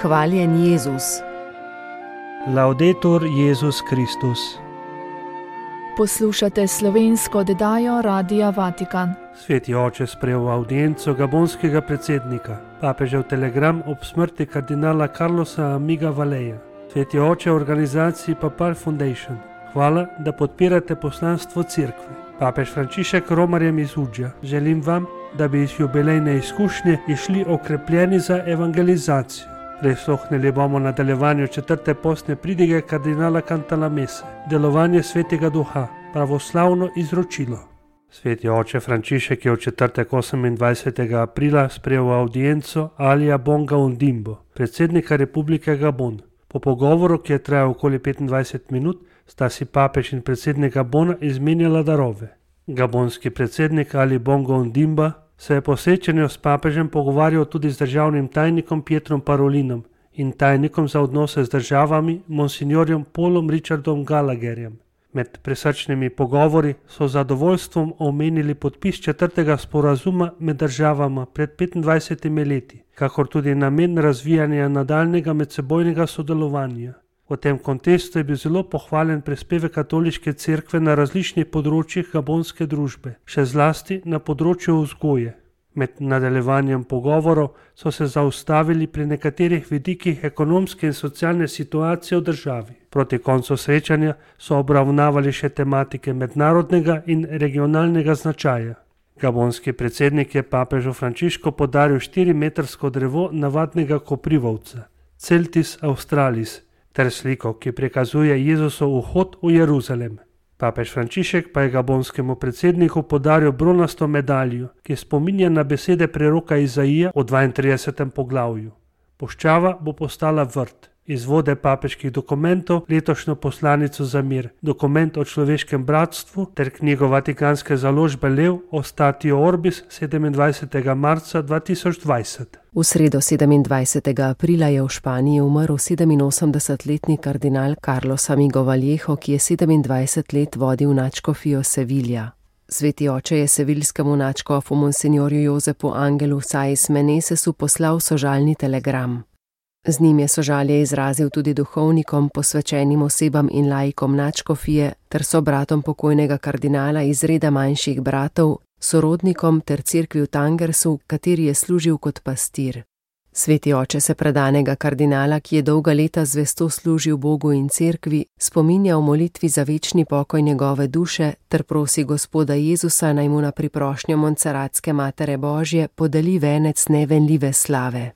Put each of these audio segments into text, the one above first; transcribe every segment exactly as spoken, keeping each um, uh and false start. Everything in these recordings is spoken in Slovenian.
Hvaljen Jezus. Laudetur Jezus Kristus. Poslušate slovensko oddajo Radia Vatikan. Sveti oče sprejel v avdienco gabonskega predsednika, papežev telegram ob smrti kardinala Carlosa Amiga Valeja. Sveti oče organizaciji Papal Foundation. Hvala, da podpirate poslanstvo cerkve. Papež Frančišek romarjem iz Udža. Želim vam, da bi iz jubilejne izkušnje išli okrepljeni za evangelizacijo. Prisluhnili bomo nadaljevanju četrte postne pridige kardinala Cantalamesse, delovanje svetega duha, pravoslavno izročilo. Sveti oče Frančišek je v četrtek osemindvajsetega aprila sprejel v avdienco Alija Bonga Ondimbo, predsednika Republike Gabon. Po pogovoru, ki je trajal okoli petindvajset minut, sta si papež in predsednik Gabona izmenjala darove. Gabonski predsednik Ali Bongo Ondimba se je po srečanju s papežem pogovarjal tudi z državnim tajnikom Pietrom Parolinom in tajnikom za odnose z državami monsignorjem Paulom Richardom Gallagherjem. Med presrčnimi pogovori so z zadovoljstvom omenili podpis četrtega sporazuma med državama pred petindvajsetimi leti, kakor tudi namen razvijanja nadaljnega medsebojnega sodelovanja. V tem kontekstu je bil zelo pohvalen prispevek katoliške cerkve na različnih področjih gabonske družbe, še zlasti na področju vzgoje. Med nadaljevanjem pogovorov so se zaustavili pri nekaterih vidikih ekonomske in socialne situacije v državi. Proti koncu srečanja so obravnavali še tematike mednarodnega in regionalnega značaja. Gabonski predsednik je papežu Frančišku podaril štirimetrsko drevo navadnega koprivovca, Celtis australis, ter sliko, ki prikazuje Jezusov vhod v Jeruzalem. Papež Frančišek pa je gabonskemu predsedniku podaril bronasto medaljo, ki spominja na besede preroka Izaija v dvaintridesetem poglavju. Puščava bo postala vrt. Izvode papeških dokumentov, letošnjo poslanico za mir, dokument o človeškem bratstvu ter knjigo vatikanske založbe Lev o Statio Orbis sedemindvajsetega marca dva tisoč dvajset. V sredo sedemindvajsetega aprila je v Španiji umrl sedeminosemdesetletni kardinal Carlos Amigo Vallejo, ki je sedemindvajset let vodil nadškofijo Sevilja. Sveti oče je seviljskemu nadškofu monsignorju Josepu Angelu Saiz Menesesu poslal sožalni telegram. Z njim je sožalje izrazil tudi duhovnikom, posvečenim osebam in laikom nadškofije ter sobratom pokojnega kardinala iz reda manjših bratov, sorodnikom ter cerkvi v Tangersu, kateri je služil kot pastir. Sveti oče se predanega kardinala, ki je dolga leta zvesto služil Bogu in cerkvi, spominja v molitvi za večni pokoj njegove duše ter prosi Gospoda Jezusa, naj mu na priprošnjo Montserratske Matere Božje podeli venec nevenljive slave.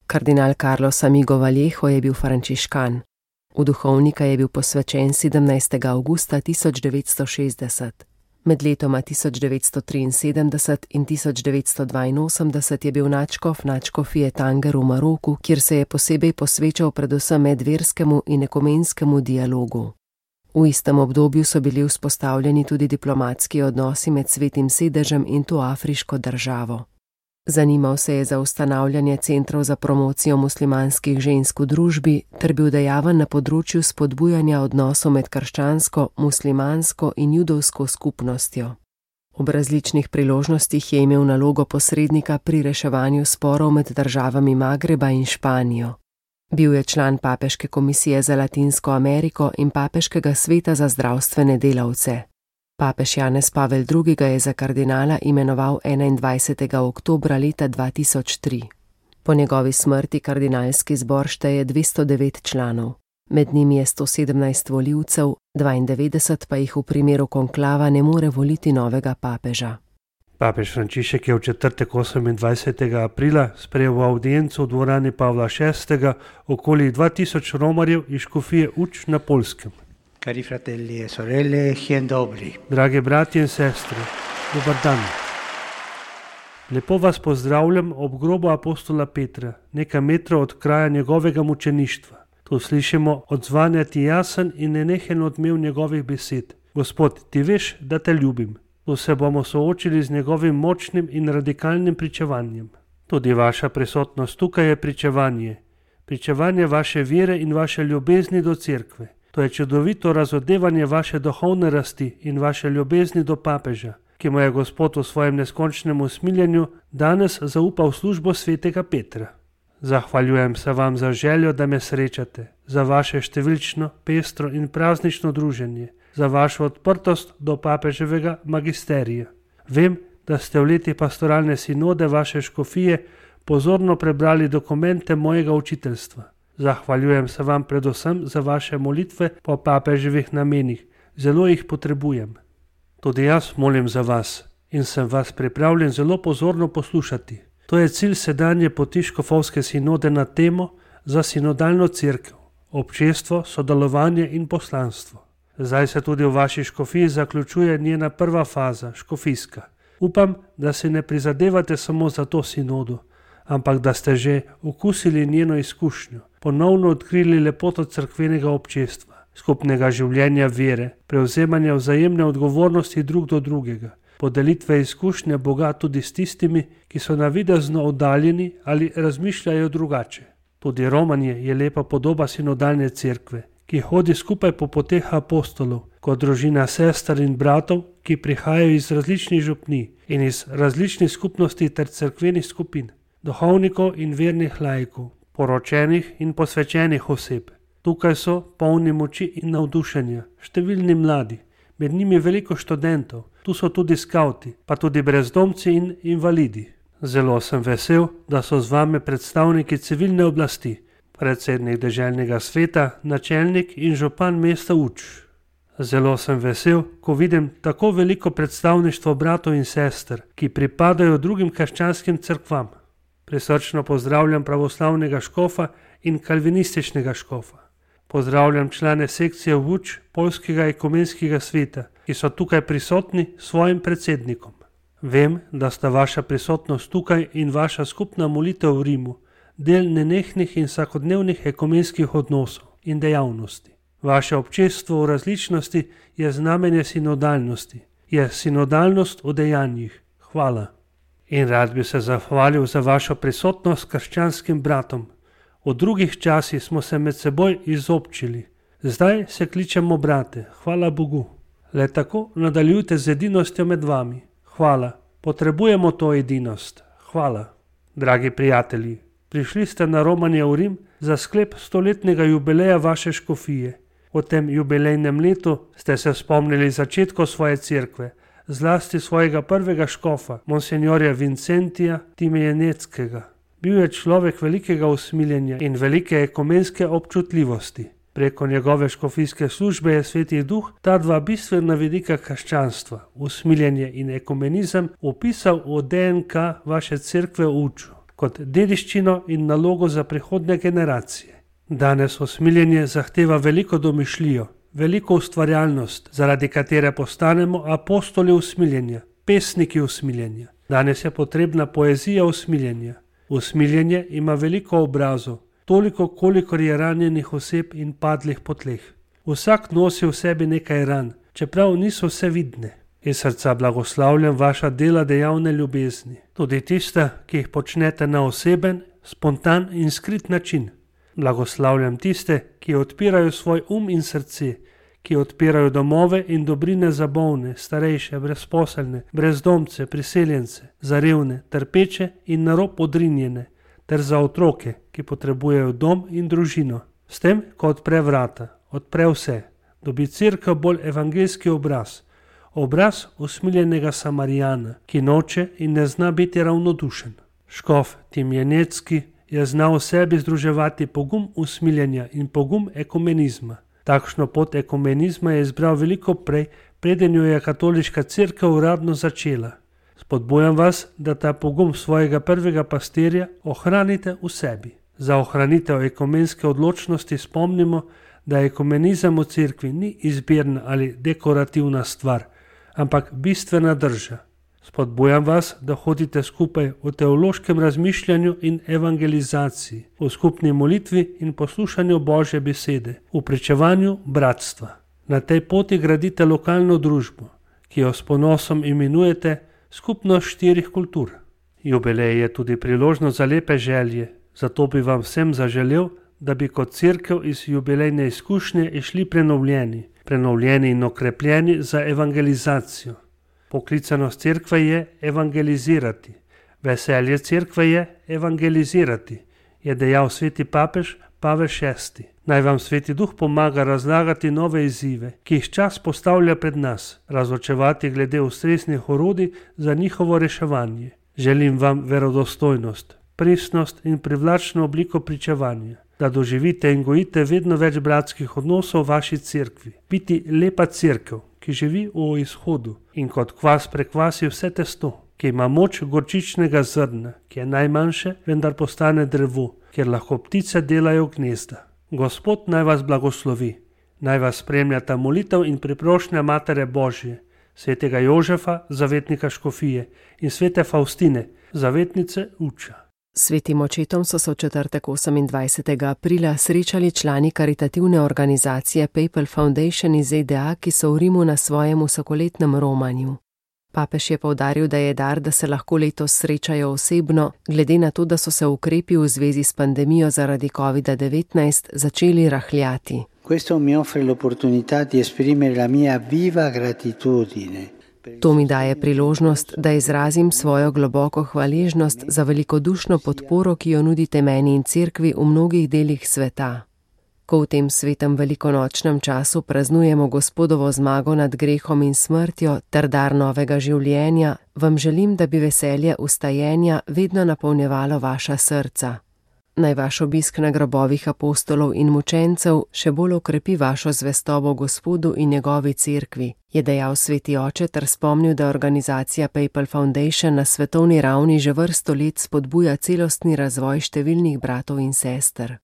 Kardinal Carlos Amigo Vallejo je bil frančiškan. V duhovnika je bil posvečen sedemnajstega avgusta tisoč devetsto šestdeset. Med letoma tisoč devetsto triinsedemdeset in tisoč devetsto dvainosemdeset je bil nadškof nadškofije Tanger v Maroku, kjer se je posebej posvečal predvsem medverskemu in ekumenskemu dialogu. V istem obdobju so bili vzpostavljeni tudi diplomatski odnosi med Svetim sedežem in to afriško državo. Zanimal se je za ustanavljanje centrov za promocijo muslimanskih žensk v družbi ter bil dejaven na področju spodbujanja odnosov med krščansko, muslimansko in judovsko skupnostjo. Ob različnih priložnostih je imel nalogo posrednika pri reševanju sporov med državami Magreba in Španijo. Bil je član Papeške komisije za Latinsko Ameriko in Papeškega sveta za zdravstvene delavce. Papež Janez Pavel drugi. ga je za kardinala imenoval enaindvajsetega oktobra leta dva tisoč tri. Po njegovi smrti kardinalski zbor šteje dvesto devet članov. Med njimi je sto sedemnajst volivcev, dvaindevetdeset pa jih v primeru konklava ne more voliti novega papeža. Papež Frančišek je v četrtek osemindvajsetega aprila sprejel v avdienco v dvorani Pavla šestega okoli dva tisoč romarjev iz škofije Uč na Poljskem. Cari fratelli e sorelle, dzień dobry. Drage bratje in sestre, dober dan. Lepo vas pozdravljam ob grobu apostola Petra, nekaj metrov od kraja njegovega mučeništva. Tu slišimo odzvanjati jasen in nenehen odmev njegovih besed. Gospod, ti veš, da te ljubim. Tu se bomo soočili z njegovim močnim in radikalnim pričevanjem. Tudi vaša prisotnost tukaj je pričevanje. Pričevanje vaše vere in vaše ljubezni do cerkve. To je čudovito razodevanje vaše duhovne rasti in vaše ljubezni do papeža, ki mu je Gospod v svojem neskončnem usmiljenju danes zaupal službo svetega Petra. Zahvaljujem se vam za željo, da me srečate, za vaše številčno, pestro in praznično druženje, za vašo odprtost do papeževega magisterija. Vem, da ste v leti pastoralne sinode vaše škofije pozorno prebrali dokumente mojega učiteljstva. Zahvaljujem se vam predvsem za vaše molitve po papeževih namenih. Zelo jih potrebujem. Tudi jaz molim za vas in sem vas pripravljen zelo pozorno poslušati. To je cilj sedanje poti škofovske sinode na temo za sinodalno cerkev, občestvo, sodelovanje in poslanstvo. Zdaj se tudi v vaši škofiji zaključuje njena prva faza, škofijska. Upam, da se ne prizadevate samo za to sinodo, ampak da ste že okusili njeno izkušnjo, ponovno odkrili lepoto cerkvenega občestva, skupnega življenja vere, prevzemanja vzajemne odgovornosti drug do drugega, podelitve izkušnje Boga tudi s tistimi, ki so navidezno oddaljeni ali razmišljajo drugače. Tudi romanje je lepa podoba sinodalne cerkve, ki hodi skupaj po poteh apostolov, kot družina sester in bratov, ki prihajajo iz različnih župnij in iz različnih skupnosti ter cerkvenih skupin, duhovnikov in vernih laikov, poročenih in posvečenih oseb. Tukaj so polni moči in navdušenja, številni mladi, med njimi veliko študentov, tu so tudi skavti, pa tudi brezdomci in invalidi. Zelo sem vesel, da so z vami predstavniki civilne oblasti, predsednik deželnega sveta, načelnik in župan mesta Uč. Zelo sem vesel, ko vidim tako veliko predstavništvo bratov in sester, ki pripadajo drugim krščanskim cerkvam. Prisrčno pozdravljam pravoslavnega škofa in kalvinističnega škofa. Pozdravljam člane sekcije Uč Poljskega ekumenskega sveta, ki so tukaj prisotni s svojim predsednikom. Vem, da sta vaša prisotnost tukaj in vaša skupna molitev v Rimu del nenehnih in vsakodnevnih ekumenskih odnosov in dejavnosti. Vaše občestvo v različnosti je znamenje sinodalnosti, je sinodalnost v dejanjih. Hvala. In rad bi se zahvalil za vašo prisotnost krščanskim bratom. V drugih časih smo se med seboj izobčili. Zdaj se kličemo brate, hvala Bogu. Le tako nadaljujte z edinostjo med vami. Hvala. Potrebujemo to edinost. Hvala. Dragi prijatelji, prišli ste na romanje v Rim za sklep stoletnega jubileja vaše škofije. V tem jubilejnem letu ste se spomnili začetkov svoje cerkve, zlasti svojega prvega škofa, monsenjorja Vincentija Timejeneckega. Bil je človek velikega usmiljenja in velike ekumenske občutljivosti. Preko njegove škofijske službe je Sveti Duh ta dva bistvena vidika krščanstva, usmiljenje in ekumenizem, opisal v D N K vaše cerkve v Uču, kot dediščino in nalogo za prihodnje generacije. Danes usmiljenje zahteva veliko domišljijo, veliko ustvarjalnost, zaradi katere postanemo apostoli usmiljenja, pesniki usmiljenja. Danes je potrebna poezija usmiljenja. Usmiljenje ima veliko obrazov, toliko, kolikor je ranjenih oseb in padlih po tleh. Vsak nosi v sebi nekaj ran, čeprav niso vse vidne. Iz srca blagoslavljam vaša dela dejavne ljubezni, tudi tiste, ki jih počnete na oseben, spontan in skrit način. Blagoslavljam tiste, ki odpirajo svoj um in srce, ki odpirajo domove in dobrine za bolne, starejše, brezposelne, brezdomce, priseljence, za revne, trpeče in na rob odrinjene, ter za otroke, ki potrebujejo dom in družino. S tem, ko odpre vrata, odpre vse, dobi cerkev bolj evangeljski obraz, obraz usmiljenega Samarijana, ki noče in ne zna biti ravnodušen. Škof Timjenecki je znal v sebi združevati pogum usmiljenja in pogum ekumenizma. Takšno pot ekumenizma je izbral veliko prej, preden jo je katoliška cerkev uradno začela. Spodbujam vas, da ta pogum svojega prvega pastirja ohranite v sebi. Za ohranitev ekumenske odločnosti spomnimo, da ekumenizem v cerkvi ni izbirna ali dekorativna stvar, ampak bistvena drža. Spodbujam vas, da hodite skupaj v teološkem razmišljanju in evangelizaciji, v skupni molitvi in poslušanju Božje besede, v pričevanju bratstva. Na tej poti gradite lokalno družbo, ki jo s ponosom imenujete skupnost štirih kultur. Jubilej je tudi priložnost za lepe želje, zato bi vam vsem zaželel, da bi kot cerkev iz jubilejne izkušnje išli prenovljeni, prenovljeni in okrepljeni za evangelizacijo. Poklicanost cerkve je evangelizirati, veselje cerkve je evangelizirati, je dejal sveti papež Pavel šesti. Naj vam sveti duh pomaga razlagati nove izzive, ki jih čas postavlja pred nas, razločevati glede ustreznih orodij za njihovo reševanje. Želim vam verodostojnost, pristnost in privlačno obliko pričevanja, da doživite in gojite vedno več bratskih odnosov v vaši cerkvi. Biti lepa cerkev, ki živi v izhodu in kot kvas prekvasi vse testo, ki ima moč gorčičnega zrna, ki je najmanjše, vendar postane drevo, kjer lahko ptice delajo gnezda. Gospod naj vas blagoslovi, naj vas spremljata molitev in priprošnja Matere Božje, svetega Jožefa, zavetnika Škofije, in svete Faustine, zavetnice Uča. Svetim očetom so se v četrtek osemindvajsetega aprila srečali člani karitativne organizacije Papal Foundation iz Z D A, ki so v Rimu na svojem vsakoletnem romanju. Papež je poudaril, da je dar, da se lahko letos srečajo osebno, glede na to, da so se ukrepi v zvezi s pandemijo zaradi covida devetnajst začeli rahljati. Questo mi offre l'opportunità di esprimere la mia viva gratitudine. To mi daje priložnost, da izrazim svojo globoko hvaležnost za velikodušno podporo, ki jo nudite meni in cerkvi v mnogih delih sveta. Ko v tem svetem velikonočnem času praznujemo Gospodovo zmago nad grehom in smrtjo ter dar novega življenja, vam želim, da bi veselje ustajenja vedno napolnjevalo vaša srca. Naj vaš obisk na grobovih apostolov in mučencev še bolj okrepi vašo zvestobo Gospodu in njegovi cerkvi, je dejal sveti oče ter spomnil, da organizacija Papal Foundation na svetovni ravni že vrsto let spodbuja celostni razvoj številnih bratov in sester.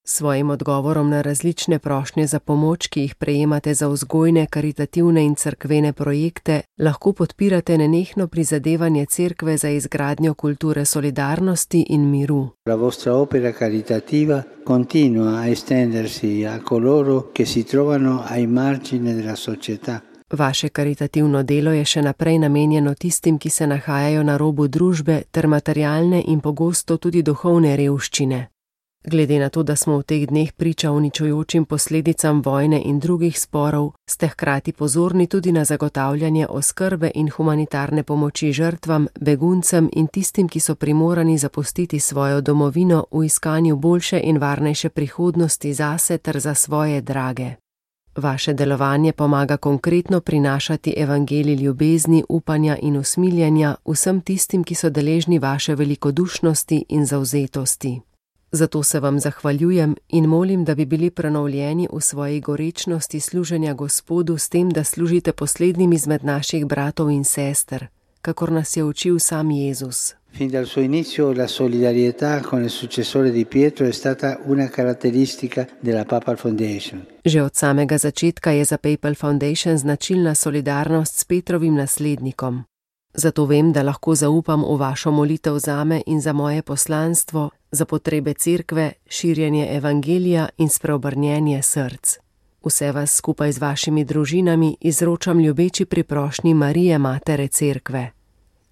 Svojim odgovorom na različne prošnje za pomoč, ki jih prejemate za vzgojne, karitativne in cerkvene projekte, lahko podpirate nenehno prizadevanje cerkve za izgradnjo kulture solidarnosti in miru. La vostra opera caritativa continua a estendersi a coloro che si trovano ai margini della società. Vaše karitativno delo je še naprej namenjeno tistim, ki se nahajajo na robu družbe ter materialne in pogosto tudi duhovne revščine. Glede na to, da smo v teh dneh priča uničujočim posledicam vojne in drugih sporov, ste hkrati pozorni tudi na zagotavljanje oskrbe in humanitarne pomoči žrtvam, beguncem in tistim, ki so primorani zapustiti svojo domovino v iskanju boljše in varnejše prihodnosti zase ter za svoje drage. Vaše delovanje pomaga konkretno prinašati evangelij ljubezni, upanja in usmiljenja vsem tistim, ki so deležni vaše velikodušnosti in zavzetosti. Zato se vam zahvaljujem in molim, da bi bili prenovljeni v svoji gorečnosti služenja Gospodu s tem, da služite poslednjim izmed naših bratov in sester, kakor nas je učil sam Jezus. Fin dal suo inizio la solidarietà con il successore di Pietro è stata una caratteristica della Papal Foundation. Že od samega začetka je za Papal Foundation značilna solidarnost s Petrovim naslednikom. Zato vem, da lahko zaupam v vašo molitev zame in za moje poslanstvo, za potrebe cerkve, širjenje evangelija in spreobrnjenje src. Vse vas skupaj z vašimi družinami izročam ljubeči priprošnji Marije, Matere cerkve.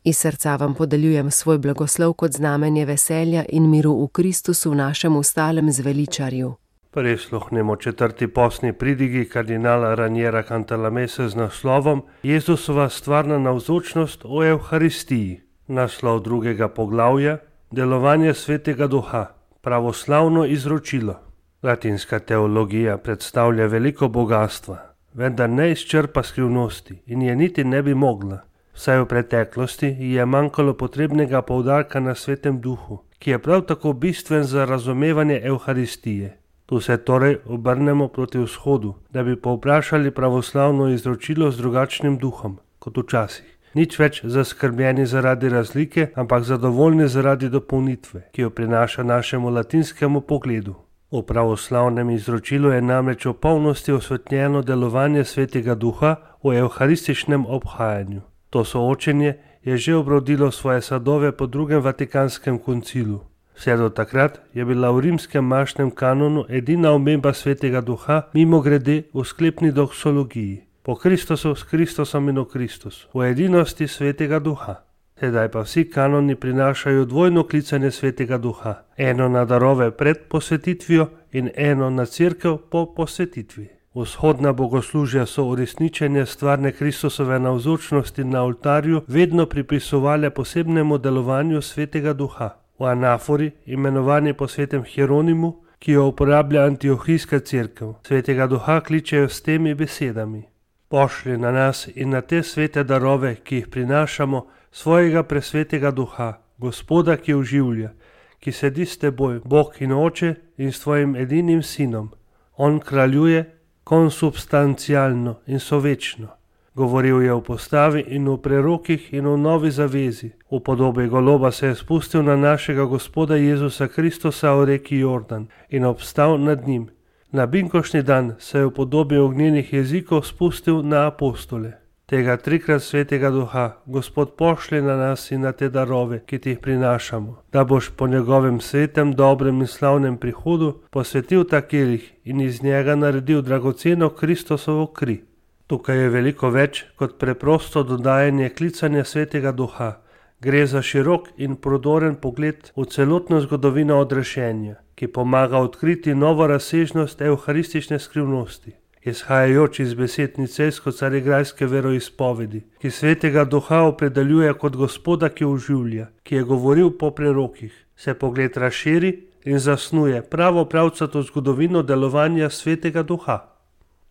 Iz srca vam podeljujem svoj blagoslov kot znamenje veselja in miru v Kristusu, našem ustalem zveličarju. Prisluhnemo četrti postni pridigi kardinala Raniera Cantalamesse z naslovom Jezusova stvarna navzočnost o Evharistiji. Naslov drugega poglavja Delovanje svetega duha, pravoslavno izročilo. Latinska teologija predstavlja veliko bogatstva, vendar ne izčrpa skrivnosti in je niti ne bi mogla. Vsaj v preteklosti je manjkalo potrebnega poudarka na svetem duhu, ki je prav tako bistven za razumevanje Evharistije. Tu se torej obrnemo proti vzhodu, da bi povprašali pravoslavno izročilo z drugačnim duhom, kot včasih. Nič več zaskrbljeni zaradi razlike, ampak zadovoljni zaradi dopolnitve, ki jo prinaša našemu latinskemu pogledu. V pravoslavnem izročilu je namreč v polnosti osvetljeno delovanje svetega duha v evharističnem obhajanju. To soočenje je že obrodilo svoje sadove po drugem Vatikanskem koncilu. Vse do takrat je bila v rimskem mašnem kanonu edina omemba svetega duha mimogrede v sklepni doksologiji. Po Kristusu, s Kristusom in v Kristusu, v edinosti svetega duha. Sedaj pa vsi kanoni prinašajo dvojno klicanje svetega duha, eno na darove pred posvetitvijo in eno na cerkev po posvetitvi. Vzhodna bogoslužja so uresničenje stvarne Kristusove navzočnosti na oltarju vedno pripisovale posebnemu delovanju svetega duha. v anafori, imenovani po svetem Hieronimu, ki jo uporablja Antiohijska cerkev. Svetega duha kličejo s temi besedami: Pošlji na nas in na te svete darove, ki jih prinašamo, svojega presvetega duha, Gospoda, ki oživlja, ki sedi s teboj, Bog in Oče, in s tvojim edinim sinom. On kraljuje konsubstancialno in sovečno. Govoril je o postavi in o prerokih in o novi zavezi. V podobi goloba se je spustil na našega Gospoda Jezusa Kristusa v reki Jordan in obstal nad njim. Na binkošnji dan se je v podobi ognjenih jezikov spustil na apostole. Tega trikrat svetega duha Gospod pošlje na nas in na te darove, ki ti jih prinašamo, da boš po njegovem svetem, dobrem in slavnem prihodu posvetil ta kelih in iz njega naredil dragoceno Kristusovo kri. Tukaj je veliko več kot preprosto dodajanje klicanja svetega duha. Gre za širok in prodoren pogled v celotno zgodovino odrešenja, ki pomaga odkriti novo razsežnost evharistične skrivnosti. Izhajajoč iz besed nicejsko-carigrajske veroizpovedi, ki svetega duha opredeljuje kot Gospoda, ki oživlja, ki je govoril po prerokih, se pogled razširi in zasnuje pravo pravcato zgodovino delovanja svetega duha.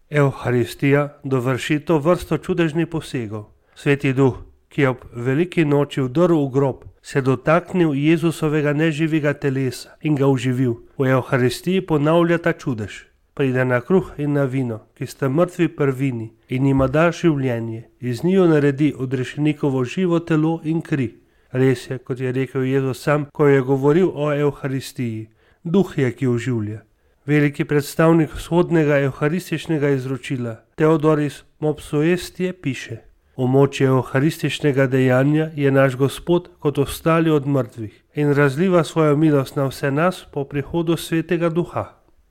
Evharistija dovrši to vrsto čudežnih posegov. Sveti duh, ki je ob veliki noči vdrl v grob, se dotaknil Jezusovega neživega telesa in ga oživil. V Evharistiji ponavlja ta čudež. Pride na kruh in na vino, ki sta mrtvi prvini, in jima da življenje. Iz njiju naredi odrešenikovo živo telo in kri. Res je, kot je rekel Jezus sam, ko je govoril o Evharistiji. Duh je, ki oživlja. Veliki predstavnik vzhodnega evharističnega izročila, Theodoris Mopsuestie, piše: V moči evharističnega dejanja je naš Gospod kot ostali od mrtvih in razliva svojo milost na vse nas po prihodu svetega duha.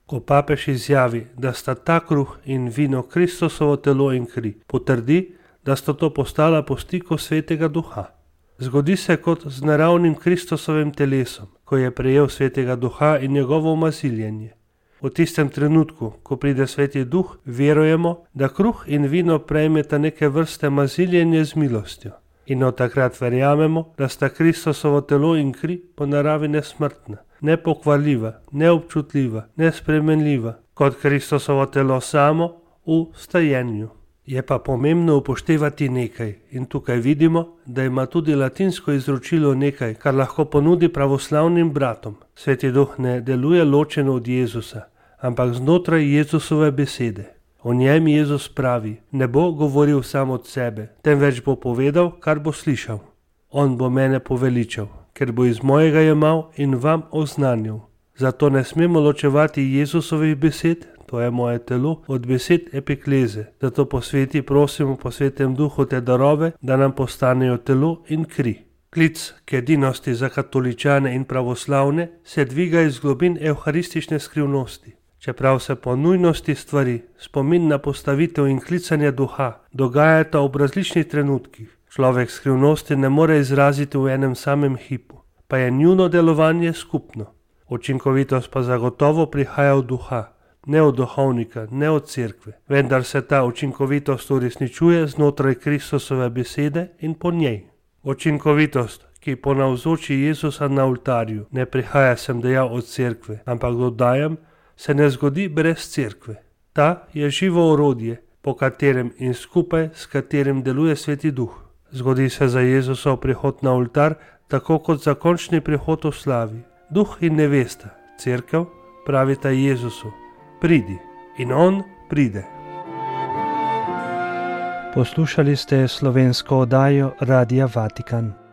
Ko papež izjavi, da sta ta kruh in vino Kristusovo telo in kri, potrdi, da sta to postala po stiku svetega duha. Zgodi se kot z naravnim Kristusovim telesom, ko je prejel svetega duha in njegovo omaziljenje. V tistem trenutku, ko pride sveti duh, verujemo, da kruh in vino prejmeta neke vrste maziljenje z milostjo. In od takrat verjamemo, da sta Kristusovo telo in kri po naravi nesmrtna, nepokvarljiva, neobčutljiva, nespremenljiva, kot Kristusovo telo samo v stajenju. Je pa pomembno upoštevati nekaj in tukaj vidimo, da ima tudi latinsko izročilo nekaj, kar lahko ponudi pravoslavnim bratom. Sveti duh ne deluje ločeno od Jezusa, ampak znotraj Jezusove besede. O njem Jezus pravi: ne bo govoril sam od sebe, temveč bo povedal, kar bo slišal. On bo mene poveličal, ker bo iz mojega jemal in vam oznanil. Zato ne smemo ločevati Jezusovih besed, to je moje telo, od besed epikleze. Zato po sveti prosimo po svetem duhu te darove, da nam postanejo telo in kri. Klic k edinosti za katoličane in pravoslavne se dviga iz globin evharistične skrivnosti. Čeprav se po nujnosti stvari, spomin na postavitev in klicanje duha dogajata ob različnih trenutkih, človek skrivnosti ne more izraziti v enem samem hipu, pa je njuno delovanje skupno. Učinkovitost pa zagotovo prihaja od duha, ne od duhovnika, ne od cerkve, vendar se ta učinkovitost uresničuje znotraj Kristusove besede in po njej. Učinkovitost, ki ponavzoči Jezusa na oltarju, ne prihaja, sem dejal, od cerkve, ampak dodajam, se ne zgodi brez cerkve. Ta je živo orodje, po katerem in skupaj s katerim deluje sveti duh. Zgodi se za Jezusov prihod na oltar, tako kot za končni prihod v slavi. Duh in nevesta, cerkev, pravita Jezusu: pridi. In on pride. Poslušali ste slovensko oddajo Radia Vatikan.